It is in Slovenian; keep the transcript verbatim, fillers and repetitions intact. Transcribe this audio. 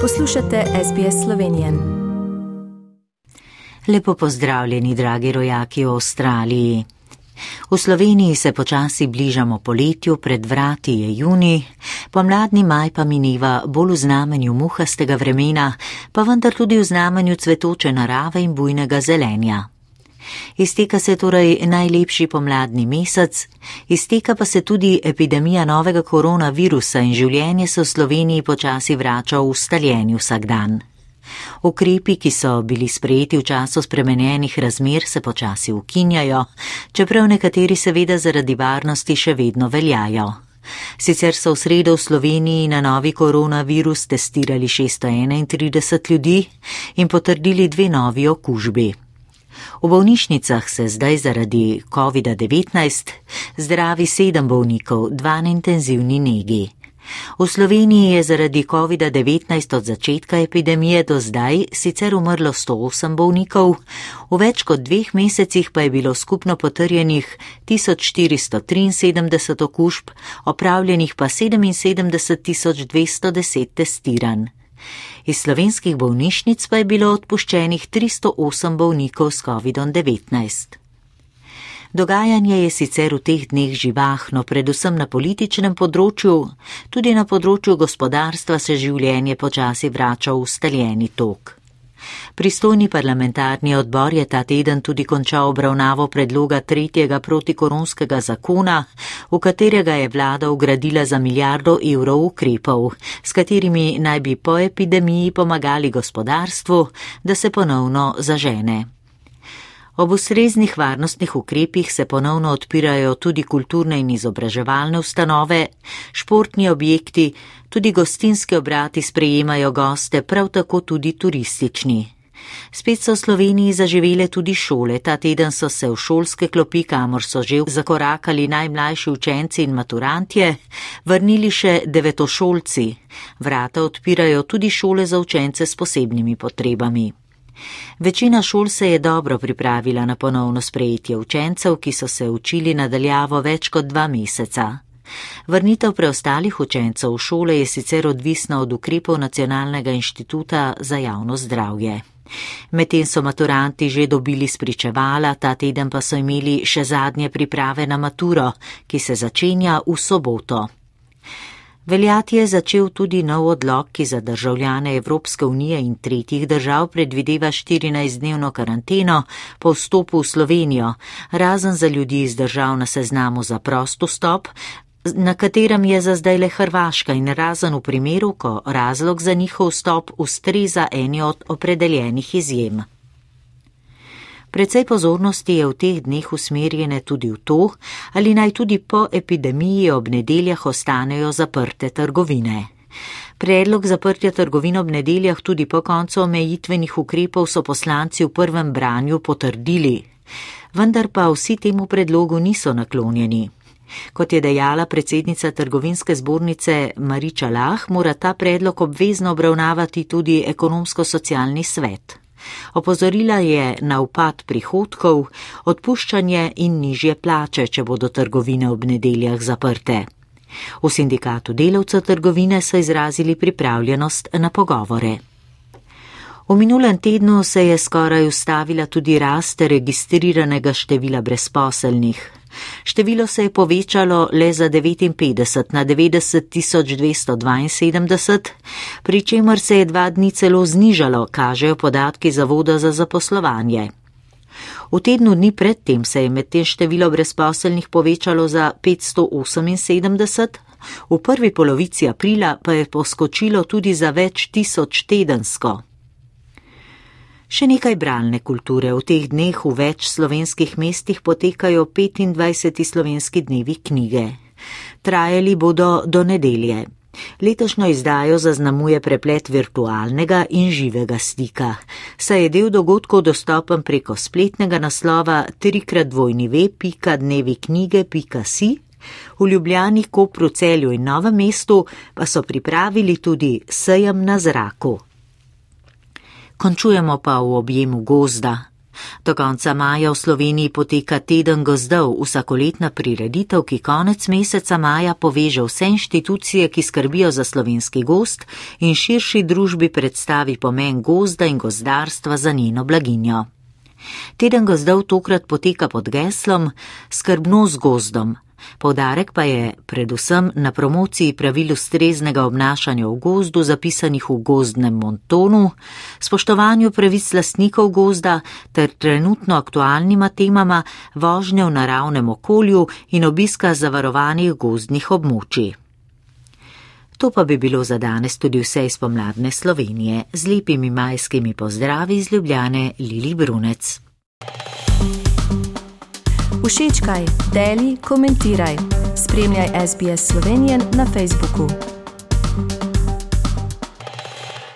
Poslušate S B S Slovenije. Lepo pozdravljeni, dragi rojaki v Avstraliji. V Sloveniji se počasi bližamo poletju, pred vrati je junij, pomladni maj pa mineva bolj v znamenju muhastega vremena, pa vendar tudi v znamenju cvetoče narave in bujnega zelenja. Izteka se torej najlepši pomladni mesec, izteka pa se tudi epidemija novega koronavirusa in življenje se v Sloveniji počasi vrača v ustaljeni vsakdan. Ukrepi, ki so bili sprejeti v času spremenjenih razmer, se počasi ukinjajo, čeprav nekateri seveda zaradi varnosti še vedno veljajo. Sicer so v sredo v Sloveniji na novi koronavirus testirali šeststo enaintrideset ljudi in potrdili dve novi okužbi. V bolnišnicah se zdaj zaradi kovida devetnajst zdravi sedem bolnikov, dva na intenzivni negi. V Sloveniji je zaradi kovida devetnajst od začetka epidemije do zdaj sicer umrlo sto osem bolnikov, v več kot dveh mesecih pa je bilo skupno potrjenih tisoč štiristo triinsedemdeset okužb, opravljenih pa sedeminsedemdeset tisoč dvesto deset testiranj. Iz slovenskih bolnišnic pa je bilo odpuščenih tristo osem bolnikov s kovidom devetnajst. Dogajanje je sicer v teh dneh živahno, predvsem na političnem področju, tudi na področju gospodarstva se življenje počasi vrača v ustaljeni tok. Pristojni parlamentarni odbor je ta teden tudi končal obravnavo predloga tretjega protikoronskega zakona, v katerega je vlada vgradila za milijardo evrov ukrepov, s katerimi naj bi po epidemiji pomagali gospodarstvu, da se ponovno zažene. Ob ustreznih varnostnih ukrepih se ponovno odpirajo tudi kulturne in izobraževalne ustanove, športni objekti, tudi gostinski obrati sprejemajo goste, prav tako tudi turistični. Spet so v Sloveniji zaživele tudi šole, ta teden so se v šolske klopi, kamor so že zakorakali najmlajši učenci in maturantje, vrnili še devetošolci. Vrata odpirajo tudi šole za učence s posebnimi potrebami. Večina šol se je dobro pripravila na ponovno sprejetje učencev, ki so se učili nadaljavo več kot dva meseca. Vrnitev preostalih učencev v šole je sicer odvisna od ukrepov Nacionalnega inštituta za javno zdravje. Medtem so maturanti že dobili spričevala, ta teden pa so imeli še zadnje priprave na maturo, ki se začenja v soboto. Veljati je začel tudi nov odlok, ki za državljane Evropske unije in tretjih držav predvideva štirinajstdnevno karanteno po vstopu v Slovenijo, razen za ljudi iz držav na seznamu za prost vstop, na katerem je za zdaj le Hrvaška, in razen v primeru, ko razlog za njihov vstop ustreza eni od opredeljenih izjem. Precej pozornosti je v teh dneh usmerjene tudi v to, ali naj tudi po epidemiji ob nedeljah ostanejo zaprte trgovine. Predlog zaprtja trgovin ob nedeljah tudi po koncu omejitvenih ukrepov so poslanci v prvem branju potrdili, vendar pa vsi temu predlogu niso naklonjeni. Kot je dejala predsednica trgovinske zbornice Mariča Lah, mora ta predlog obvezno obravnavati tudi ekonomsko-socialni svet. Opozorila je na upad prihodkov, odpuščanje in nižje plače, če bodo trgovine ob nedeljah zaprte. V sindikatu delavcev trgovine so izrazili pripravljenost na pogovore. V minulem tednu se je skoraj ustavila tudi rast registriranega števila brezposelnih. Število se je povečalo le za devetinpetdeset na devetdeset tisoč dvesto dvainsedemdeset, pri čemer se je dva dni celo znižalo, kažejo podatki Zavoda za zaposlovanje. V tednu dni predtem se je medtem število brezposelnih povečalo za petsto oseminsedemdeset, v prvi polovici aprila pa je poskočilo tudi za več tisoč tedensko. Še nekaj bralne kulture. V teh dneh v več slovenskih mestih potekajo petindvajseti slovenski dnevi knjige. Trajali bodo do nedelje. Letošnjo izdajo zaznamuje preplet virtualnega in živega stika, saj je del dogodkov dostopen preko spletnega naslova trikrat dvojni ve pika dnevi knjige pika si. V Ljubljani, Kopru, Celju in Novem mestu pa so pripravili tudi sejem na zraku. Končujemo pa v objemu gozda. Do konca maja v Sloveniji poteka Teden gozdov, vsakoletna prireditev, ki konec meseca maja poveže vse inštitucije, ki skrbijo za slovenski gozd in širši družbi predstavi pomen gozda in gozdarstva za njeno blaginjo. Teden gozdov tokrat poteka pod geslom Skrbno z gozdom. Poudarek pa je predvsem na promociji pravil ustreznega obnašanja v gozdu, zapisanih v gozdnem montonu, spoštovanju pravic lastnikov gozda ter trenutno aktualnima temama vožnje v naravnem okolju in obiska zavarovanih gozdnih območij. To pa bi bilo za danes tudi vse iz pomladne Slovenije. Z lepimi majskimi pozdravi iz Ljubljane, Lili Brunec. Všečkaj, deli, komentiraj. Spremljaj S B S Slovenijan na Facebooku.